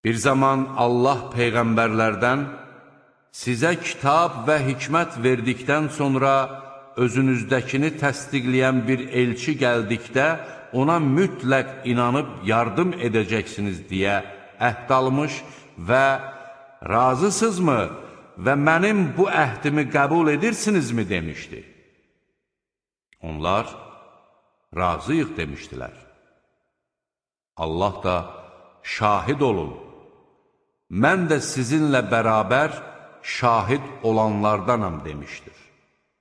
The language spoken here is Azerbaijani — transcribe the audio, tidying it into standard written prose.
Bir zaman Allah peyğəmbərlərdən sizə kitab və hikmət verdikdən sonra özünüzdəkini təsdiqləyən bir elçi gəldikdə ona mütləq inanıb yardım edəcəksiniz deyə əhd almış və razısızmı və mənim bu əhdimi qəbul edirsinizmi demişdi. Onlar razıyıq demişdilər. Allah da şahid olun, mən də sizinlə bərabər şahid olanlardanam demişdir.